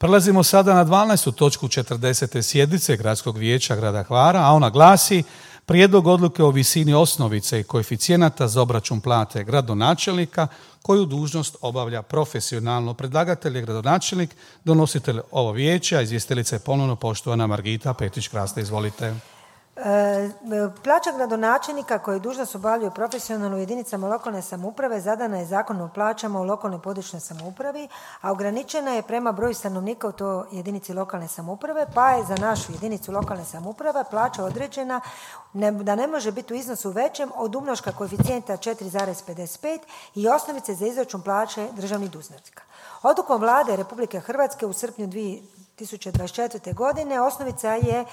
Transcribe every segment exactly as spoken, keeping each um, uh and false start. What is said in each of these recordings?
Prelazimo sada na dvanaestu točku četrdesete sjednice Gradskog vijeća grada Hvara, a ona glasi: Prijedlog odluke o visini osnovice i koeficijenata za obračun plate gradonačelnika koju dužnost obavlja profesionalno. Predlagatelj je gradonačelnik, donositelj ovo vijeća, izvjestiteljica je ponovno poštovana Margita Petrić-Krasta. Izvolite. E, plaća gradonačelnika koji dužnost obavljaju profesionalno u jedinicama lokalne samouprave zadana je Zakonom o plaćama u lokalnoj područnoj samoupravi, a ograničena je prema broju stanovnika u toj jedinici lokalne samouprave, pa je za našu jedinicu lokalne samouprave plaća određena ne, da ne može biti u iznosu većem od umnoška koeficijenta četiri zarez pedeset pet i osnovice za izračun plaće državnih dužnosnika. Odlukom Vlade Republike Hrvatske u srpnju dvije tisuće dvadeset četvrte. godine osnovica je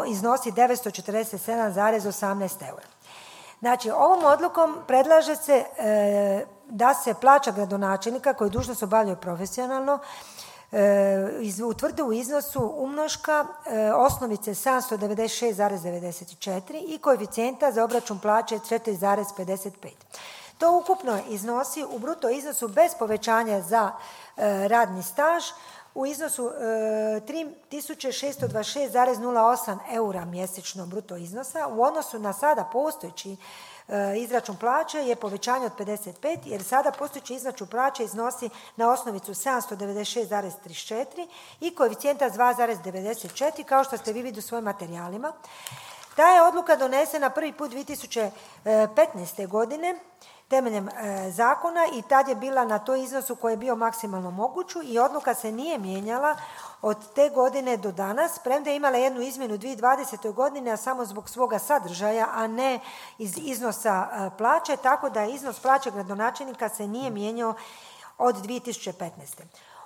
iznosi devetsto četrdeset sedam zarez osamnaest eura. Znači, ovom odlukom predlaže se e, da se plaća gradonačelnika koji dužnost obavljaju profesionalno e, iz, utvrdi u iznosu umnoška e, osnovice sedamsto devedeset šest zarez devedeset četiri i koeficijenta za obračun plaće četiri zarez pedeset pet. To ukupno iznosi u bruto iznosu bez povećanja za e, radni staž u iznosu e, tri tisuće šesto dvadeset šest zarez nula osam eura mjesečno bruto iznosa. U odnosu na sada postojeći e, izračun plaće je povećanje od pedeset pet, jer sada postojeći izračun plaće iznosi na osnovicu sedamsto devedeset šest zarez trideset četiri i koeficijenta dva zarez devedeset četiri, kao što ste vi vidjeli u svojim materijalima. Ta je odluka donesena prvi put dvije tisuće petnaeste. godine temeljem e, zakona i tad je bila na toj iznosu koji je bio maksimalno moguću i odluka se nije mijenjala od te godine do danas, premda je imala jednu izmjenu u dvije tisuće dvadesete. godine, a samo zbog svoga sadržaja, a ne iz iznosa e, plaće, tako da iznos plaće gradonačelnika se nije mijenjao od dvije tisuće petnaeste.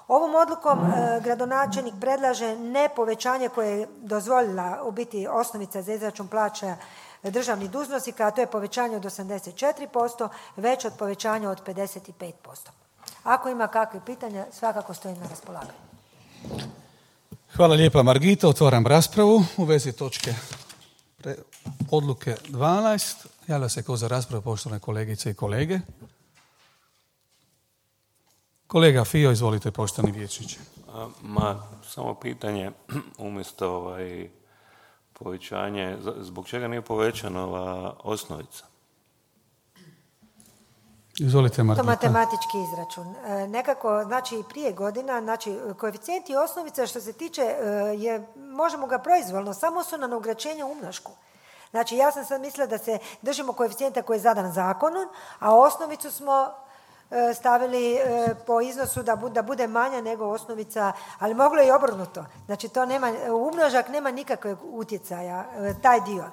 Ovom odlukom e, gradonačelnik predlaže ne povećanje koje je dozvolila u biti osnovica za izračun plaća državnih dužnosnika, a to je povećanje od osamdeset četiri posto, već od povećanja od pedeset pet posto. Ako ima kakve pitanja, svakako stojim na raspolaganju. Hvala lijepa Margita. Otvaram raspravu u vezi točke pre... odluke dvanaest. Javlja se ko za raspravu poštovane kolegice i kolege. Kolega Fio, izvolite poštovani vijećniče. Ma, samo pitanje, umjesto ovaj, povećanje, zbog čega nije povećana ova osnovica? Izvolite, Margita. To matematički izračun. E, nekako, znači prije godina, znači koeficijent i osnovica što se tiče, e, je, možemo ga proizvoljno, samo su na ograničenje umnošku. Znači ja sam sad mislila da se držimo koeficijenta koji je zadan zakonom, a osnovicu smo stavili po iznosu da bude, da bude manja nego osnovica, ali moglo je i obrnuto. Znači to nema, umnožak nema nikakvog utjecaja, taj dio.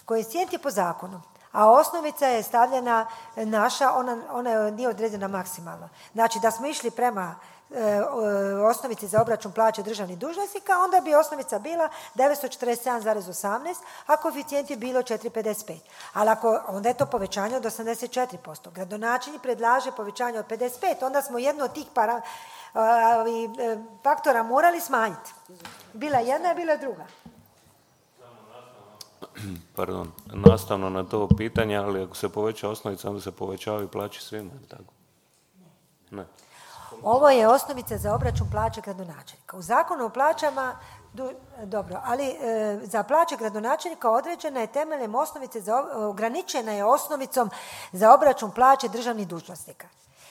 Koeficijent je po zakonu, a osnovica je stavljena naša, ona, ona nije određena maksimalno. Znači da smo išli prema e, osnovici za obračun plaće državnih dužnosnika, onda bi osnovica bila devetsto četrdeset sedam zarez osamnaest, a koeficijent je bilo četiri zarez pedeset pet. Ali ako, onda je to povećanje od osamdeset četiri posto. Gradonačelnik predlaže povećanje od pedeset pet, onda smo jedno od tih para, a, i, e, faktora morali smanjiti. Bila jedna, bila druga. Pardon, nastavno na to pitanje, ali ako se poveća osnovica, onda se povećavaju plaće svima, tako? Ne. Ovo je osnovica za obračun plaće gradonačelnika. U zakonu o plaćama, du, dobro, ali e, za plaće gradonačelnika određena je temeljem osnovice, za, ograničena je osnovicom za obračun plaće državnih dužnosnika.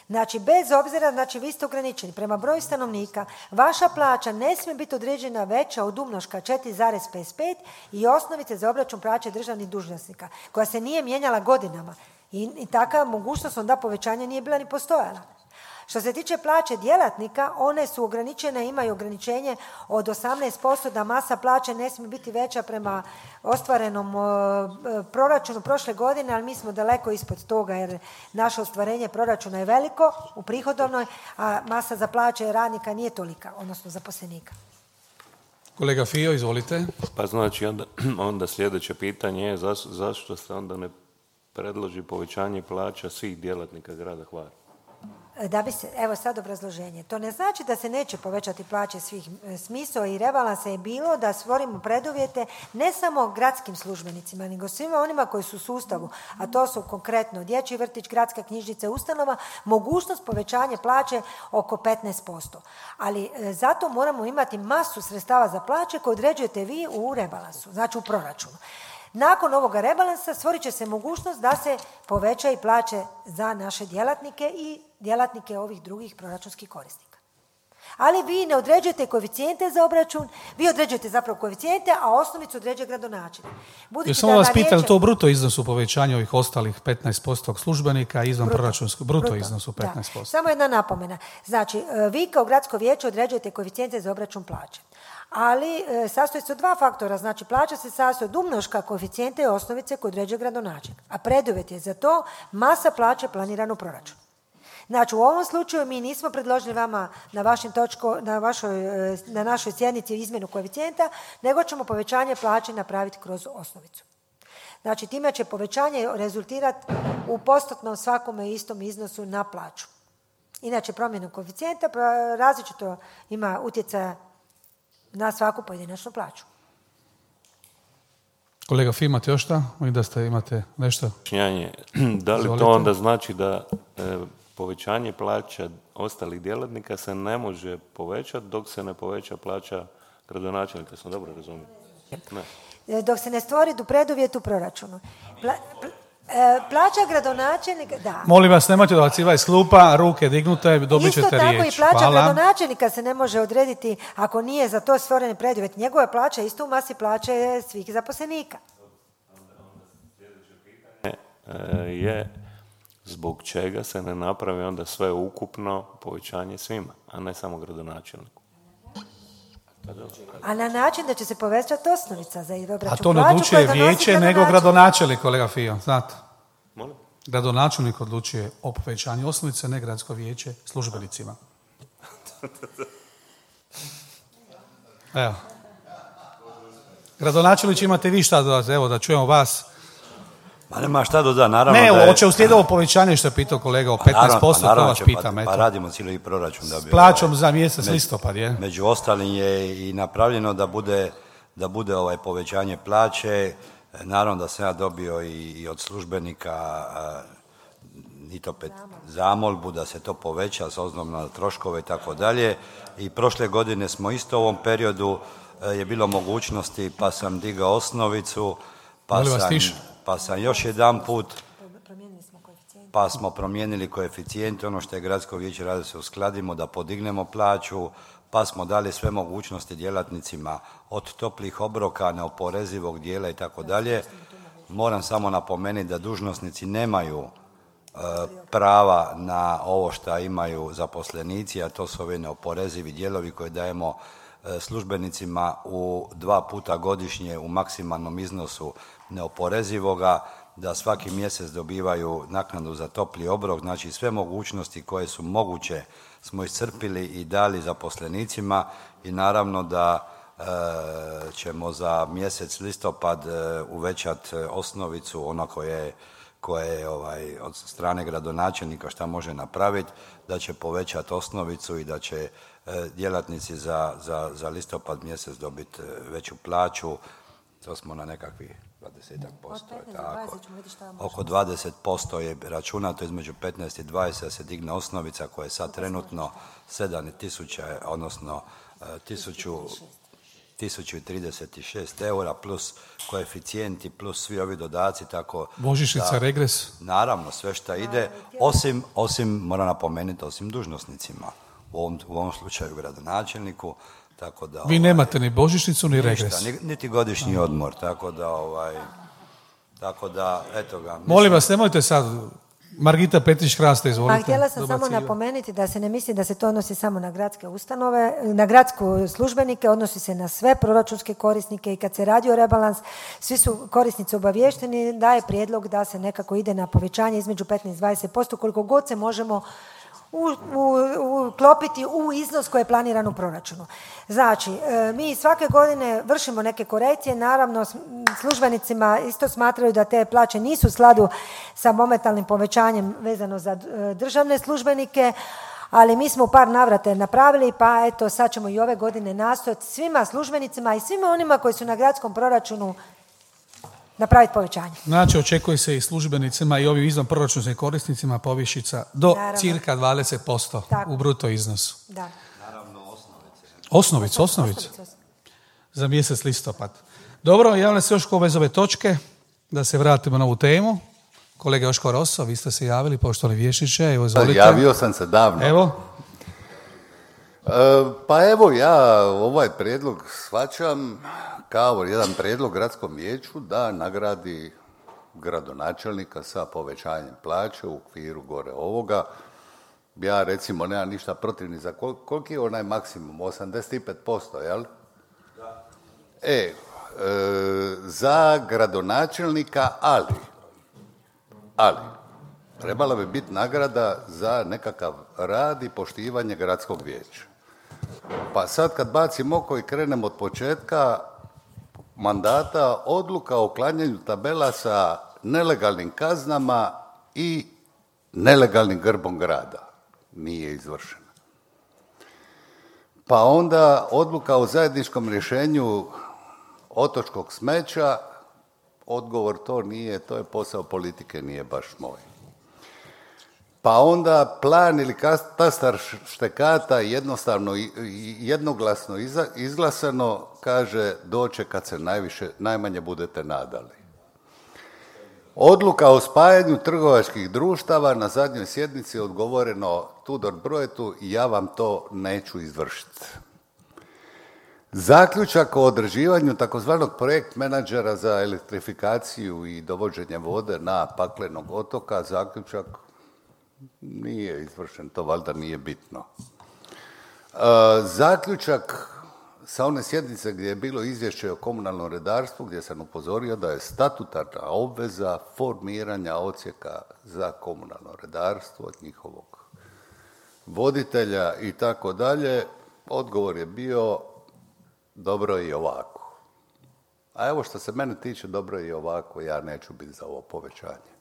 Znači, bez obzira, znači vi ste ograničeni prema broju stanovnika, vaša plaća ne smije biti određena veća od umnoška četiri zarez pedeset pet i osnovice za obračun plaće državnih dužnosnika, koja se nije mijenjala godinama. I, i taka mogućnost onda povećanja nije bila ni postojala. Što se tiče plaće djelatnika, one su ograničene, imaju ograničenje od osamnaest posto da masa plaće ne smije biti veća prema ostvarenom uh, proračunu prošle godine, ali mi smo daleko ispod toga jer naše ostvarenje proračuna je veliko u prihodovnoj, a masa za plaće radnika nije tolika, odnosno zaposlenika. Kolega Fio, izvolite. Pa znači onda, onda sljedeće pitanje je zašto, zašto se onda ne predloži povećanje plaća svih djelatnika grada Hvara? Da bi se, evo sad obrazloženje. To ne znači da se neće povećati plaće svih. Smisao i rebalansa je bilo da stvorimo preduvjete ne samo gradskim službenicima, nego svima onima koji su u sustavu, a to su konkretno dječji vrtić, gradska knjižnica, ustanova, mogućnost povećanja plaće oko petnaest posto. Ali e, zato moramo imati masu sredstava za plaće koje određujete vi u rebalansu, znači u proračunu. Nakon ovoga rebalansa stvorit će se mogućnost da se povećaju plaće za naše djelatnike i djelatnike ovih drugih proračunskih korisnika. Ali vi ne određujete koeficijente za obračun, vi određujete zapravo koeficijente, a osnovicu određuje gradonačelnik. Ja samo vas pitam, vijeće... to u bruto iznosu povećanja ovih ostalih petnaest posto službenika izvan bruto, proračunskog, bruto, bruto iznosu petnaest posto. Da. Samo jedna napomena. Znači, vi kao gradsko vijeće određujete koeficijente za obračun plaće. Ali e, sastoji se od dva faktora, znači plaća se sastoji od umnoška koeficijente i osnovice koje određuje gradonačelnik. A preduvjet je za to masa plaće planirana u proračunu. Znači, u ovom slučaju mi nismo predložili vama na, vašim točko, na, vašoj, na našoj sjednici izmjenu koeficijenta, nego ćemo povećanje plaće napraviti kroz osnovicu. Znači, time će povećanje rezultirati u postotnom svakome istom iznosu na plaću. Inače, promjenu koeficijenta različito ima utjecaja na svaku pojedinačnu plaću. Kolega Fi, imate još šta? Vidim da ste imate nešto. Da li to onda znači da e, povećanje plaća ostalih djelatnika se ne može povećati dok se ne poveća plaća gradonačelnika? Sam dobro razumio? Ne. Dok se ne stvori do preduvjet u proračunu. Pla, pl, e, plaća gradonačelnika, da. Molim vas, nemojte dobacivati iz klupa, ruke dignute, dobit ćete riječ. Isto tako i plaća Hvala. gradonačelnika se ne može odrediti ako nije za to stvoren preduvjet. Njegova plaća je isto u masi plaće svih zaposlenika. Je zbog čega se ne napravi onda sve ukupno povećanje svima, a ne samo gradonačelniku. A na način da će se povećati osnovica za obračun plaću. A to ne odlučuje vijeće nego gradonačelnik, kolega Fio, znate. Molim? Gradonačelnik odlučuje o povećanju osnovice, ne gradsko vijeće službenicima. Evo. Gradonačelnici imate vi šta dodati, evo da čujemo vas. Pa nema šta dodati, naravno ne, da je... hoće uslijedi ovo povećanje što je pitao kolega o petnaest posto, pa to vas pitam. Pa, pa radimo cijeli proračun. Da bi, s plaćom ovaj, za mjesec među, listopad, je? Među ostalim je i napravljeno da bude, da bude ovaj povećanje plaće. Naravno da sam ja dobio i, i od službenika a, i to pet, zamolbu da se to poveća s obzirom na troškove i tako dalje. I prošle godine smo isto u ovom periodu a, je bilo mogućnosti pa sam digao osnovicu, pa sam... Pa sam još jedan put, pa smo promijenili koeficijente, ono što je gradsko vijeće radi se uskladimo, da podignemo plaću, pa smo dali sve mogućnosti djelatnicima od toplih obroka, neoporezivog dijela i tako dalje. Moram samo napomenuti da dužnosnici nemaju e, prava na ovo što imaju zaposlenici, a to su ovi neoporezivi dijelovi koje dajemo e, službenicima u dva puta godišnje u maksimalnom iznosu neoporezivoga, da svaki mjesec dobivaju naknadu za topli obrok, znači sve mogućnosti koje su moguće smo iscrpili i dali zaposlenicima i naravno da e, ćemo za mjesec listopad e, uvećati osnovicu, ono koje, koje je ovaj, od strane gradonačelnika šta može napraviti, da će povećati osnovicu i da će e, djelatnici za, za, za listopad mjesec dobiti veću plaću. To smo na nekakvih dvadeset posto, tako. Oko dvadeset posto je računato između petnaest i dvadeset da se digne osnovica koja je sad trenutno sedam tisuća, odnosno tisuću trideset šest eura plus koeficijenti plus svi ovi dodaci, tako božićnica, da, regres. Naravno, sve što ide, osim, osim, moram napomenuti, osim dužnosnicima. U ovom, u ovom slučaju gradonačelniku. Tako da, vi nemate ovaj, ni božićnicu ni regres. Ništa, niti godišnji odmor, tako da, ovaj, tako da, eto ga. Mislim... Molim vas, nemojte sad, Margita Petrić-Hrasta, izvolite. Pa htjela sam samo napomenuti da se ne misli da se to odnosi samo na gradske ustanove, na gradske službenike, odnosi se na sve proračunske korisnike i kad se radi o rebalans, svi su korisnici obavješteni da je prijedlog da se nekako ide na povećanje između petnaest i dvadeset posto, koliko god se možemo uklopiti u iznos koji je planiran u proračunu. Znači, mi svake godine vršimo neke korekcije, naravno službenicima isto smatraju da te plaće nisu u skladu sa momentalnim povećanjem vezano za državne službenike, ali mi smo u par navrata napravili, pa eto sad ćemo i ove godine nastojati svima službenicima i svima onima koji su na gradskom proračunu napraviti povećanje. Znači, očekuje se i službenicima i ovim izvan proračunskim korisnicima povišica do naravno. Cirka dvadeset posto tako. U bruto iznosu. Da. Naravno, osnovice. Osnovice, osnovice. Za mjesec listopad. Dobro, javljam se još ove ove točke, da se vratimo na ovu temu. Kolega Joško Rosso, vi ste se javili, poštovani vijećniče, evo izvolite. Javio sam se davno. Evo. E, pa evo, ja ovaj prijedlog shvaćam kao jedan prijedlog gradskom vijeću da nagradi gradonačelnika sa povećanjem plaće u okviru gore ovoga. Ja recimo nemam ništa protiv ni za kol- koliki je onaj maksimum, osamdeset pet posto, jel? Da. E, e, za gradonačelnika, ali, ali, trebala bi biti nagrada za nekakav rad i poštivanje gradskog vijeća. Pa sad kad bacim oko i krenem od početka mandata, odluka o uklanjanju tabela sa nelegalnim kaznama i nelegalnim grbom grada nije izvršena. Pa onda odluka o zajedničkom rješenju otočkog smeća, odgovor to nije, to je posao politike, nije baš moj. Pa onda plan ili katastar štekata jednostavno i jednoglasno izglasano, kaže doće kad se najviše, najmanje budete nadali. Odluka o spajanju trgovačkih društava, na zadnjoj sjednici odgovoreno Tudor Brojetu, ja vam to neću izvršiti. Zaključak o određivanju takozvanog projekt menadžera za elektrifikaciju i dovođenje vode na Paklenog otoka, zaključak nije izvršen, to valjda nije bitno. E, zaključak sa one sjednice gdje je bilo izvješće o komunalnom redarstvu, gdje sam upozorio da je statutarna obveza formiranja odsjeka za komunalno redarstvo od njihovog voditelja i tako dalje, odgovor je bio dobro je i ovako. A evo što se mene tiče, dobro je i ovako, ja neću biti za ovo povećanje.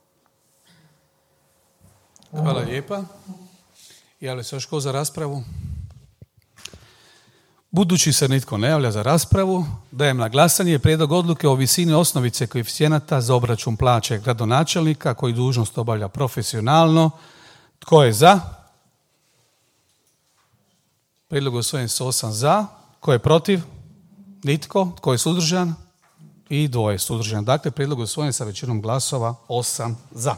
Hvala lijepa. Javlja se još ko za raspravu? Budući se nitko ne javlja za raspravu, dajem na glasanje prijedlog odluke o visini osnovice koeficijenata za obračun plaće gradonačelnika koji dužnost obavlja profesionalno. Tko je za? Prijedlog usvojen s osam za. Tko je protiv? Nitko. Tko je suzdržan? I dvoje suzdržan. Dakle, prijedlog usvojen sa većinom glasova osam za.